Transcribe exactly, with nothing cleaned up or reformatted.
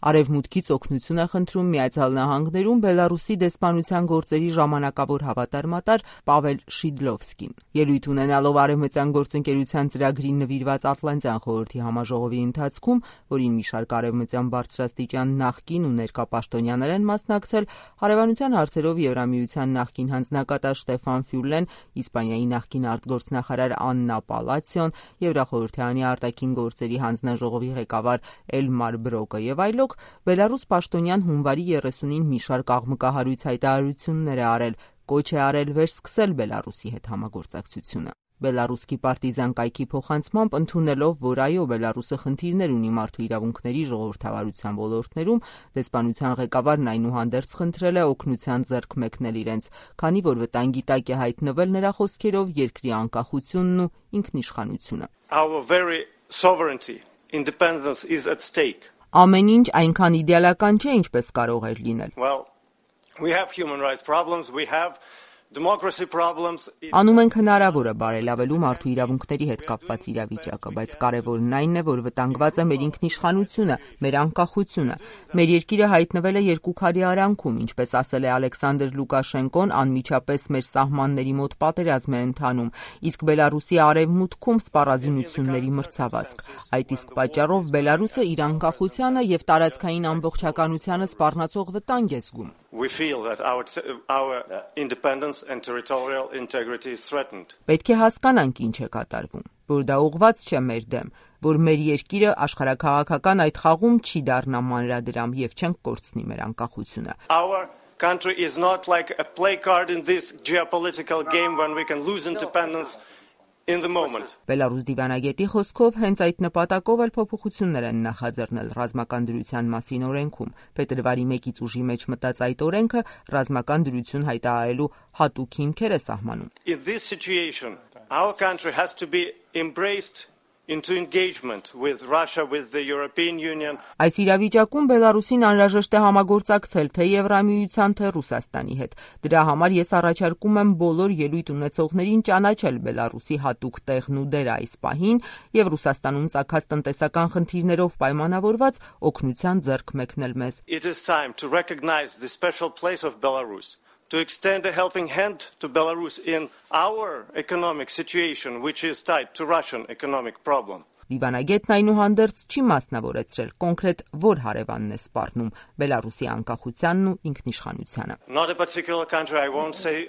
Արևմուտքից օգնություն է խնդրում Միացյալ Նահանգներում Բելարուսի դեսպանության գործերի ժամանակավոր հավատարմատար Պավել Շիդլովսկին։ Ելույթ ունենալով Արևմտյան գործընկերության ծրագրին նվիրված Ատլանտյան խորհրդի համաժողովի ընթացքում, որին մի շարք արևմտյան բարձրաստիճան նախկին ու ներկա պաշտոնյաներ են մասնակցել, հարևանության հարցերով Եվրամիության նախկին հանձնակատար Շտեֆան Ֆյուլեն, Իսպանիայի նախկին արտգործնախարար Աննա Պալացիոն, Եվրախորհրդարանի արտաքին գործերի հանձնաժողովի ղեկավար Էլմար Բրոկը եւ այլոք Բելարուս պաշտոնյան հունվարի երեսունին մի շարք աղմկահարույց հայտարարություններ է արել, կոչ է արել վերսկսել Բելարուսի հետ համագործակցությունը։ Բելարուսքի պարտիզան կայքի փոխանցմամբ ընդունելով, որ այո, Բելարուսը խնդիրներ ունի մարդու իրավունքների ժողովրդավարության ոլորտներում, դեսպանության ղեկավարն այնուհանդերձ խնդրել է օգնության ձեռք մեկնել իրենց, քանի որ վտանգի տակ է հայտնվել նրա խոսքերով երկրի անկախությունն ու ինքնիշխանությունը։ Our very sovereignty, independence is at stake. Ամեն ինչ այնքան իդեալական չէ, ինչպես կարող էր լինել։ Well, we have human rights problems, we have democracy problems. Անում ենք հնարավորը բարելավելու մարդու իրավունքների հետ կապված իրավիճակը, բայց կարևորն այն է, որ վտանգված է մեր ինքնիշխանությունը, մեր անկախությունը։ Մեր երկիրը հայտնվել է երկու քարի արանքում, ինչպես ասել է Ալեքսանդր Լուկաշենկոն, անմիջապես մեր սահմանների մոտ պատերազմ է ընթանում, իսկ Բելարուսի արևմուտքում սպառազինությունների մրցավազք։ Այդ իսկ պատճառով Բելարուսը իր անկախությանը եւ տարածքային ամբողջականությանը սպառնացող վտանգ է զգում։ We feel that our our independence and territorial integrity is threatened. Պետք է հասկանանք ինչ է կատարվում, որ դա ուղղված չէ մեր դեմ, որ մեր երկիրը աշխարհաքաղաքական այդ խաղում չի դառնա մանրադրամ եւ չենք կորցնի մեր անկախությունը։ Our country is not like a play card in this geopolitical game when we can lose independence in the moment. Բելարուս դիվանագետի խոսքով հենց այդ նպատակով էլ փոփոխություններ են նախաձեռնել ռազմական դրության մասին օրենքում։ Փետրվարի մեկից ուժի մեջ մտած այդ օրենքը ռազմական դրություն հայտարարելու հատուկ հիմքեր է սահմանում։ In this situation, our country has to be embraced into engagement with Russia, with the European Union. Այս իրավիճակում Բելարուսին անհրաժեշտ է համագործակցել թե Եվրամիության, թե Ռուսաստանի հետ։ Դրա համար ես առաջարկում եմ բոլոր ելույթ ունեցողներին ճանաչել Բելարուսի հատուկ տեղն ու դերը այս պահին եւ Ռուսաստանում ծագած տնտեսական խնդիրներով պայմանավորված օգնության ձեռք մեկնել մեզ։ It is time to recognize the special place of Belarus, to extend a helping hand to Belarus in our economic situation, which is tied to Russian economic problem. Դիվանագետն այնուհանդերձ չի մասնավորեցրել կոնկրետ որ հարևանն է սպառնում Բելարուսի անկախությանն ու ինքնիշխանությանը։ Not a particular country, I won't say